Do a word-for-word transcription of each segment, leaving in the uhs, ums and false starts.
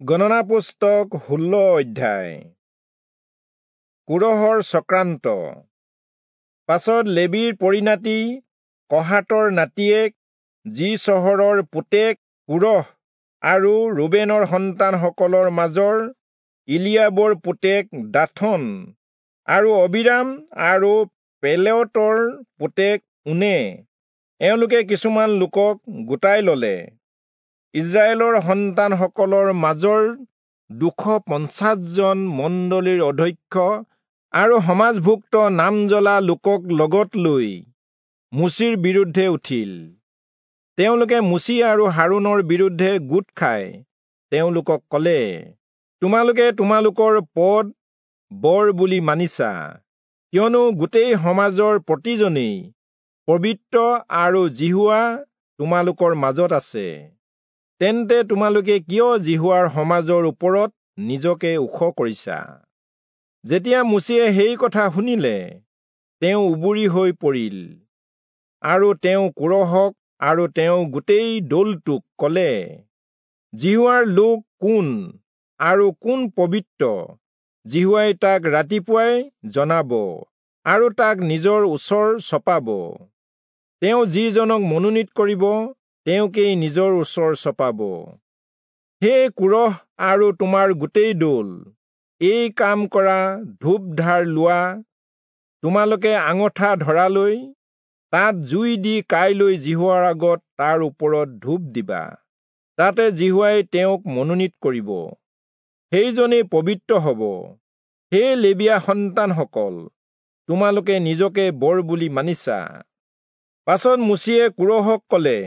গণনা পুস্তক ষোল্ল অধ্যায়। কোৰহৰ চক্ৰান্ত। পাছত লেবীৰ পৰিণাতি কহাতৰ নাতিয়েক যিচহৰৰ পুতেক কোৰহ আৰু ৰুবেনৰ সন্তানসকলৰ মাজৰ ইলিয়াবৰ পুতেক দাথন আৰু অবিৰাম আৰু পেলেটৰ পুতেক ঊনে এওঁলোকে কিছুমান লোকক গোটাই ললে। ইস্ৰায়েলৰ সন্তানসকলৰ মাজৰ দুশ পঞ্চাশজন মণ্ডলীৰ অধ্যক্ষ আৰু সমাজভুক্ত নামজ্বলা লোকক লগত লৈ মোচিৰ বিৰুদ্ধে উঠিল। তেওঁলোকে মোচি আৰু হাৰোণৰ বিৰুদ্ধে গোট খাই তেওঁলোকক কলে, তোমালোকে তোমালোকৰ পদ বৰ বুলি মানিছা, কিয়নো গোটেই সমাজৰ প্ৰতিজনেই পবিত্ৰ আৰু যিহোৱা তোমালোকৰ মাজত আছে। তেন্তে তোমালোকে কিয় যিহোৱাৰ সমাজৰ ওপৰত নিজকে ওখ কৰিছা? যেতিয়া মোচিয়ে সেই কথা শুনিলে, তেওঁ উবুৰি হৈ পৰিল আৰু তেওঁ কোৰহক আৰু তেওঁ গোটেই দলটোক কলে, যিহোৱাৰ লোক কোন আৰু কোন পবিত্ৰ, যিহোৱাই তাক ৰাতিপুৱাই জনাব আৰু তাক নিজৰ ওচৰ চপাব। তেওঁ যিজনক মনোনীত কৰিব, তেওঁকেই নিজৰ ওচৰ চপাব। হে কোৰহ আৰু তোমাৰ গোটেই দল, এই কাম কৰা, ধূপধাৰ লোৱা, তোমালোকে আঙঠা ধৰালৈ তাত জুই দি কাইলৈ যিহোৱাৰ আগত তাৰ ওপৰত ধূপ দিবা। তাতে যিহোৱাই তেওঁক মনোনীত কৰিব, সেইজনেই পবিত্ৰ হব। হে লেবীয়া সন্তানসকল, তোমালোকে নিজকে বৰ বুলি মানিছা। পাছত মোচিয়ে কোৰহক কলে,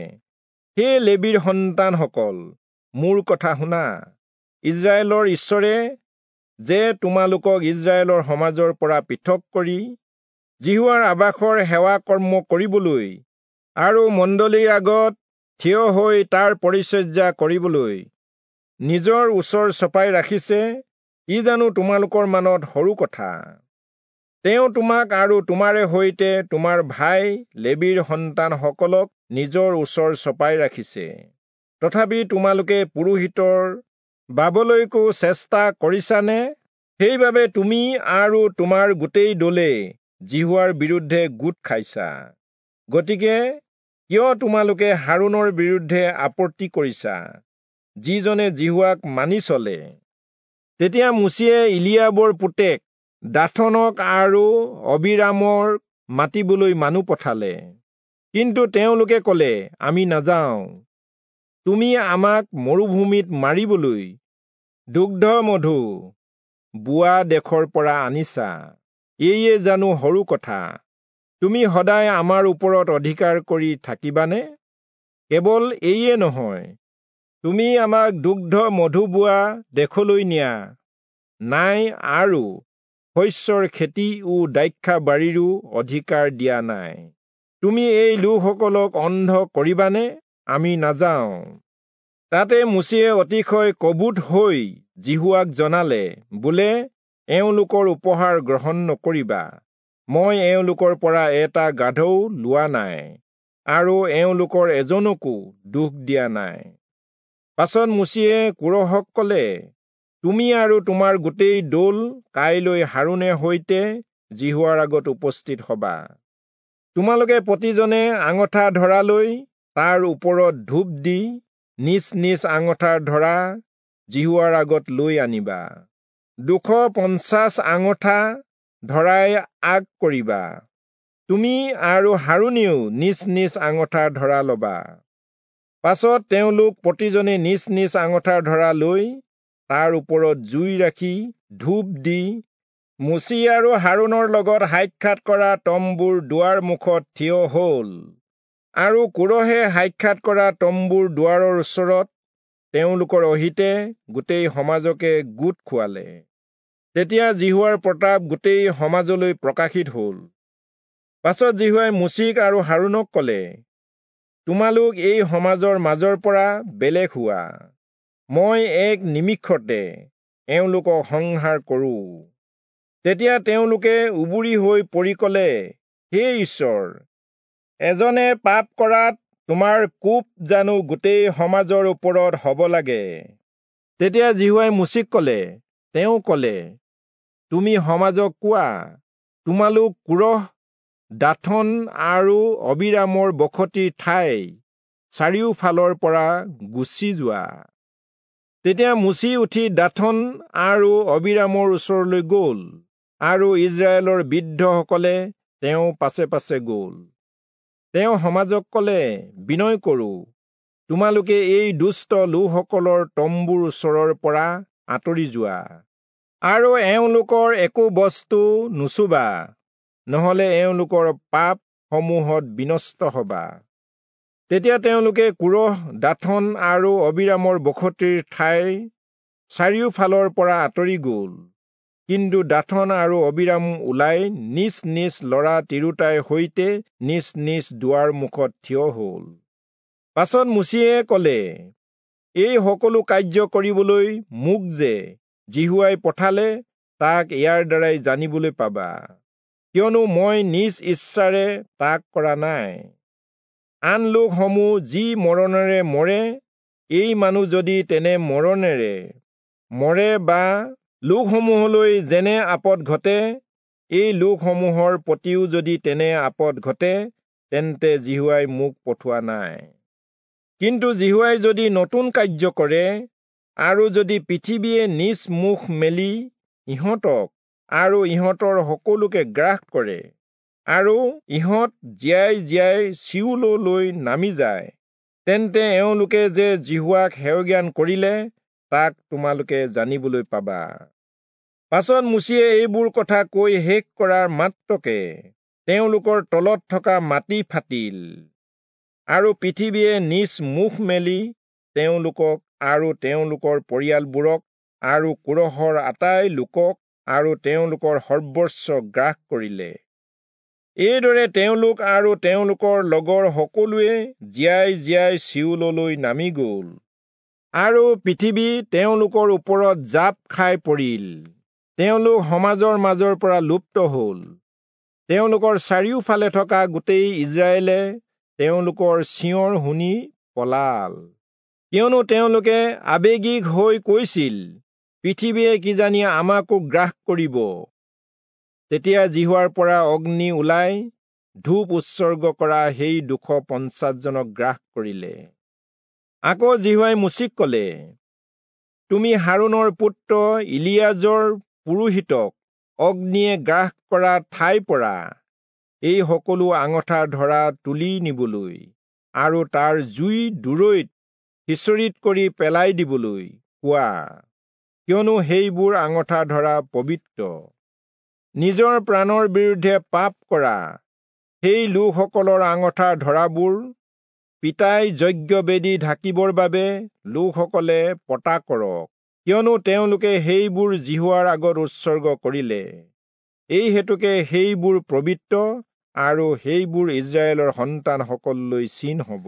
হে লেবীৰ সন্তানসকল, মোৰ কথা শুনা। ইস্ৰায়েলৰ ঈশ্বৰে যে তোমালোকক ইস্ৰায়েলৰ সমাজৰ পৰা পৃথক কৰি যিহোৱাৰ আবাসৰ সেৱা কৰ্ম কৰিবলৈ আৰু মণ্ডলীৰ আগত থিয় হৈ তাৰ পৰিচৰ্যা কৰিবলৈ নিজৰ ওচৰ চপাই ৰাখিছে, ই জানো তোমালোকৰ মানত সৰু কথা? তেওঁ তোমাক আৰু তোমাৰে সৈতে তোমাৰ ভাই লেবীৰ সন্তানসকলক নিজৰ ওচৰ চপাই ৰাখিছে। তথাপি তোমালোকে পুৰোহিতৰ বাবলৈকো চেষ্টা কৰিছানে? সেইবাবে তুমি আৰু তোমাৰ গোটেই দলে যিহোৱাৰ বিৰুদ্ধে গোট খাইছা। গতিকে কিয় তোমালোকে হাৰোণৰ বিৰুদ্ধে আপত্তি কৰিছা, যিজনে যিহোৱাক মানি চলে? তেতিয়া মোচিয়ে ইলিয়াবৰ পুতেক দাথনক আৰু অবিৰামৰ মাতিবলৈ মানুহ পঠালে। কিন্তু তেওঁলোকে কলে, আমি নাযাওঁ। তুমি আমাক মৰুভূমিত মাৰিবলৈ দুগ্ধ মধু বোৱা দেশৰ পৰা আনিছা, এইয়ে জানো সৰু কথা? তুমি সদায় আমাৰ ওপৰত অধিকাৰ কৰি থাকিবানে? কেৱল এইয়ে নহয়, তুমি আমাক দুগ্ধ মধু বোৱা দেশলৈ নিয়া নাই আৰু শস্যৰ খেতি ও দ্ৰাক্ষাবাৰীৰো অধিকাৰ দিয়া নাই। তুমি এই লোকসকলক অন্ধ কৰিবানে? আমি নাযাওঁ। তাতে মোচিয়ে অতিশয় কবুত হৈ যিহোৱাক জনালে, বোলে, এওঁলোকৰ উপহাৰ গ্ৰহণ নকৰিবা। মই এওঁলোকৰ পৰা এটা গাধও লোৱা নাই আৰু এওঁলোকৰ এজনকো দুখ দিয়া নাই। পাছত মোচিয়ে কোৰহক কলে, তুমি আৰু তোমাৰ গোটেই দল কাইলৈ হাৰোণে সৈতে যিহোৱাৰ আগত উপস্থিত হবা। তোমালোকে প্ৰতিজনে আঙঠা ধৰালৈ তাৰ ওপৰত ধূপ দি নিজ নিজ আঙঠাৰ ধৰা যিহোৱাৰ আগত লৈ আনিবা। দুশ পঞ্চাশ আঙঠা ধৰাই আগ কৰিবা। তুমি আৰু হাৰোণেও নিজ নিজ আঙঠা ধৰা লবা। পাছত তেওঁলোক প্ৰতিজনে নিজ নিজ আঙঠাৰ ধৰা লৈ তাৰ ওপৰত জুই ৰাখি ধূপ দি মোচি আৰু হাৰোণৰ লগত সাক্ষাৎ কৰা তম্বুৰ দুৱাৰ মুখত থিয় হল। আৰু কোৰহে সাক্ষাৎ কৰা তম্বুৰ দুৱাৰৰ ওচৰত তেওঁলোকৰ অহিতে গোটেই সমাজকে গোট খুৱালে। তেতিয়া যিহোৱাৰ প্ৰতাপ গোটেই সমাজলৈ প্ৰকাশিত হল। পাছত যিহোৱাই মোচিক আৰু হাৰোণক কলে, তোমালোক এই সমাজৰ মাজৰ পৰা বেলেগ হোৱা, মই এক নিমিষতে এওঁলোকক সংহাৰ কৰোঁ। তেতিয়া তেওঁলোকে উবুৰি হৈ পৰি কলে, হে ঈশ্বৰ, এজনে পাপ কৰাত তোমাৰ কোপ জানো গোটেই সমাজৰ ওপৰত হব লাগে? তেতিয়া যিহোৱাই মোচিক কলে, তেওঁ কলে, তুমি সমাজক কোৱা, তোমালোক কোৰহ, দাথন আৰু অবিৰামৰ বসতিৰ ঠাই চাৰিওফালৰ পৰা গুচি যোৱা। তেতিয়া মোচি উঠি দাথন আৰু অবিৰামৰ ওচৰলৈ গল, আৰু ইজৰাইলৰ বৃদ্ধসকলে তেওঁ পাছে পাছে গল। তেওঁ সমাজক কলে, বিনয় কৰো, তোমালোকে এই দুষ্ট লোকসকলৰ তম্বুৰ ওচৰৰ পৰা আঁতৰি যোৱা, আৰু এওঁলোকৰ একো বস্তু নুচুবা, নহলে এওঁলোকৰ পাপ সমূহত বিনষ্ট হবা। তেতিয়া তেওঁলোকে কোৰহ, দাথন আৰু অবিৰামৰ বসতিৰ ঠাই চাৰিওফালৰ পৰা আঁতৰি গল। কিন্তু দাথন আৰু অবিৰাম ওলাই নিজ নিজ লৰা তিৰোতাৰ সৈতে নিজ নিজ দুৱাৰ মুখত থিয় হল। পাছত মোচিয়ে কলে, এই সকলো কাৰ্য কৰিবলৈ মোক যে যিহোৱাই পঠালে, তাক ইয়াৰ দ্বাৰাই জানিবলৈ পাবা, কিয়নো মই নিজ ইচ্ছাৰে তাক কৰা নাই। আন লোকসমূহ যি মৰণেৰে মৰে, এই মানুহ যদি তেনে মৰণেৰে মৰে বা লোকসমূহলৈ যেনে আপদ ঘটে, এই লোকসমূহৰ প্ৰতিও যদি তেনে আপদ ঘটে, তেন্তে যিহোৱাই মোক পঠোৱা নাই। কিন্তু যিহোৱাই যদি নতুন কাৰ্য কৰে, আৰু যদি পৃথিৱীয়ে নিজ মুখ মেলি ইহঁতক আৰু ইহঁতৰ সকলোকে গ্ৰাস কৰে, আৰু ইহঁত জীয়াই জীয়াই চিয়োললৈ নামি যায়, তেন্তে এওঁলোকে যে যিহোৱাক হেয়জ্ঞান কৰিলে, তাক তোমালোকে জানিবলৈ পাবা। পাছত মোচিয়ে এইবোৰ কথা কৈ শেষ কৰাৰ মাত্ৰকে তেওঁলোকৰ তলত থকা মাটি ফাটিল, আৰু পৃথিৱীয়ে নিজ মুখ মেলি তেওঁলোকক আৰু তেওঁলোকৰ পৰিয়ালবোৰক আৰু কোৰহৰ আটাই লোকক আৰু তেওঁলোকৰ সৰ্বস্ব গ্ৰাস কৰিলে। এইদৰে তেওঁলোক আৰু তেওঁলোকৰ লগৰ সকলোৱে জীয়াই জীয়াই চিয়োললৈ নামি গল, আৰু পৃথিৱী তেওঁলোকৰ ওপৰত জাপ খাই পৰিল। তেওঁলোক সমাজৰ মাজৰ পৰা লুপ্ত হল। তেওঁলোকৰ চাৰিওফালে থকা গোটেই ইজৰাইলে তেওঁলোকৰ চিঞৰ শুনি পলাল, কিয়নো তেওঁলোকে আৱেগিক হৈ কৈছিল, পৃথিৱীয়ে কিজানি আমাকো গ্ৰাস কৰিব। তেতিয়া যিহোৱাৰ পৰা অগ্নি ওলাই ধূপ উৎসৰ্গ কৰা সেই দুশ পঞ্চাছজনক গ্ৰাস কৰিলে। আকৌ যিহোৱাই মোচিক কলে, তুমি হাৰোণৰ পুত্ৰ ইলিয়াজৰ পুৰোহিতক অগ্নিয়ে গ্ৰাস কৰা ঠাইৰ পৰা এই সকলো আঙঠা ধৰা তুলি নিবলৈ আৰু তাৰ জুই দূৰৈত সিঁচৰিত কৰি পেলাই দিবলৈ কোৱা, কিয়নো সেইবোৰ আঙঠা ধৰা পবিত্ৰ। নিজৰ প্ৰাণৰ বিৰুদ্ধে পাপ কৰা সেই লোকসকলৰ আঙঠা ধৰাবোৰ পিতাই যজ্ঞবেদী ঢাকিবৰ বাবে লোকসকলে পতা কৰক, কিয়নো তেওঁলোকে সেইবোৰ যিহোৱাৰ আগত উৎসৰ্গ কৰিলে। এই হেতুকে সেইবোৰ পবিত্ৰ আৰু সেইবোৰ ইজৰাইলৰ সন্তানসকললৈ চিন হব।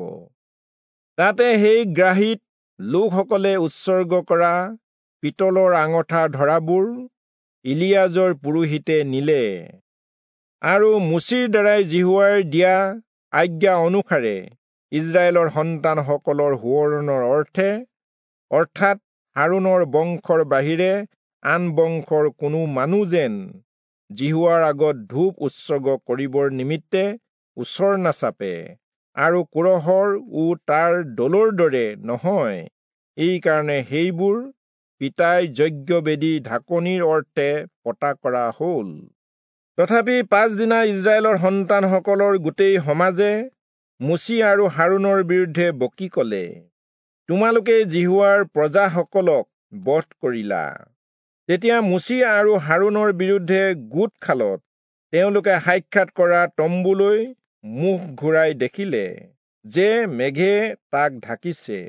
তাতে সেই গ্ৰাহীত লোকসকলে উৎসৰ্গ কৰা পিতলৰ আঙঠা ধৰাবোৰ ইলিয়াজৰ পুৰোহিতে নিলে, আৰু মোচিৰ দ্বাৰাই যিহোৱাৰ দিয়া আজ্ঞা অনুসাৰে ইজৰাইলৰ সন্তানসকলৰ সোঁৱৰণৰ অৰ্থে, অৰ্থাৎ হাৰোণৰ বংশৰ বাহিৰে আন বংশৰ কোনো মানুহ যেন যিহোৱাৰ আগত ধূপ উৎসৰ্গ কৰিবৰ নিমিত্তে ওচৰ নাচাপে, আৰু কোৰহৰ ও তাৰ দলৰ দৰে নহয়, এইকাৰণে সেইবোৰ পিতাই যজ্ঞবেদী ঢাকনিৰ অৰ্থে পতা কৰা হল। তথাপি পাছদিনা ইজৰাইলৰ সন্তানসকলৰ গোটেই সমাজে মোচি আৰু হাৰোণৰ বিৰুদ্ধে বকি কলে, তোমালোকে যিহোৱাৰ প্ৰজাসকলক বধ কৰিলা। তেতিয়া মোচি আৰু হাৰোণৰ বিৰুদ্ধে গোট খালত তেওঁলোকে সাক্ষাৎ কৰা তম্বুলৈ মুখ ঘূৰাই দেখিলে যে মেঘে তাক ঢাকিছে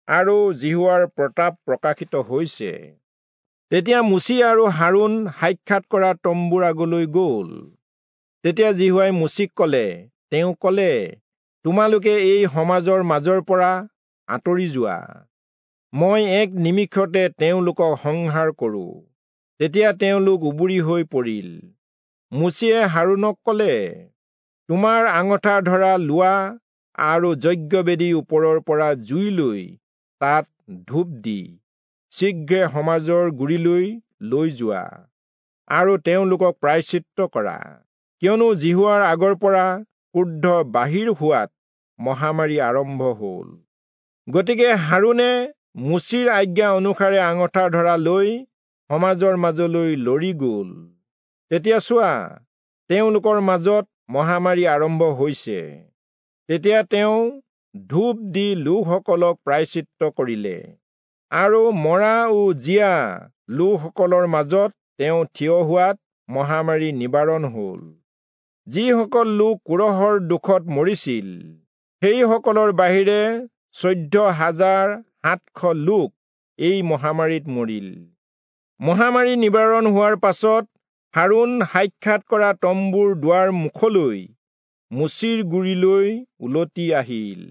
আৰু যিহোৱাৰ প্ৰতাপ প্ৰকাশিত হৈছে। তেতিয়া মোচি আৰু হাৰোণ সাক্ষাৎ কৰা তম্বুৰ আগলৈ গল। তেতিয়া যিহোৱাই মোচিক কলে, তেওঁ কলে, তোমালোকে এই সমাজৰ মাজৰ পৰা আঁতৰি যোৱা, মই এক নিমিষতে তেওঁলোকক সংহাৰ কৰো। তেতিয়া তেওঁলোক উবুৰি হৈ পৰিল। মোচিয়ে হাৰোণক কলে, তোমাৰ আঙঠা ধৰা লোৱা আৰু যজ্ঞবেদীৰ ওপৰৰ পৰা জুই লৈ তাত ধূপ দি শীঘ্ৰে সমাজৰ গুৰিলৈ লৈ যোৱা আৰু তেওঁলোকক প্ৰায়শ্চিত্ত কৰা, কিয়নো যিহোৱাৰ আগৰ পৰা ক্ৰোধ বাহিৰ হোৱাত মহামাৰী আৰম্ভ হল। গতিকে হাৰোণে মোচিৰ আজ্ঞা অনুসাৰে আঙঠা ধৰা লৈ সমাজৰ মাজলৈ লৰি গল। তেতিয়া চোৱা, তেওঁলোকৰ মাজত মহামাৰী আৰম্ভ হৈছে। তেতিয়া তেওঁ ধূপ দি লোকসকলক প্ৰায়শ্চিত্ত কৰিলে, আৰু মৰা ও জীয়া লোকসকলৰ মাজত তেওঁ থিয় হোৱাত মহামাৰী নিবাৰণ হল। যিসকল লোক কোৰহৰ দুখত মৰিছিল, সেইসকলৰ বাহিৰে চৈধ্য হাজাৰ সাতশ লোক এই মহামাৰীত মৰিল। মহামাৰী নিবাৰণ হোৱাৰ পাছত হাৰোণ সাক্ষাৎ কৰা তম্বুৰ দুৱাৰ মুখলৈ মোচিৰ গুৰিলৈ উলটি আহিল।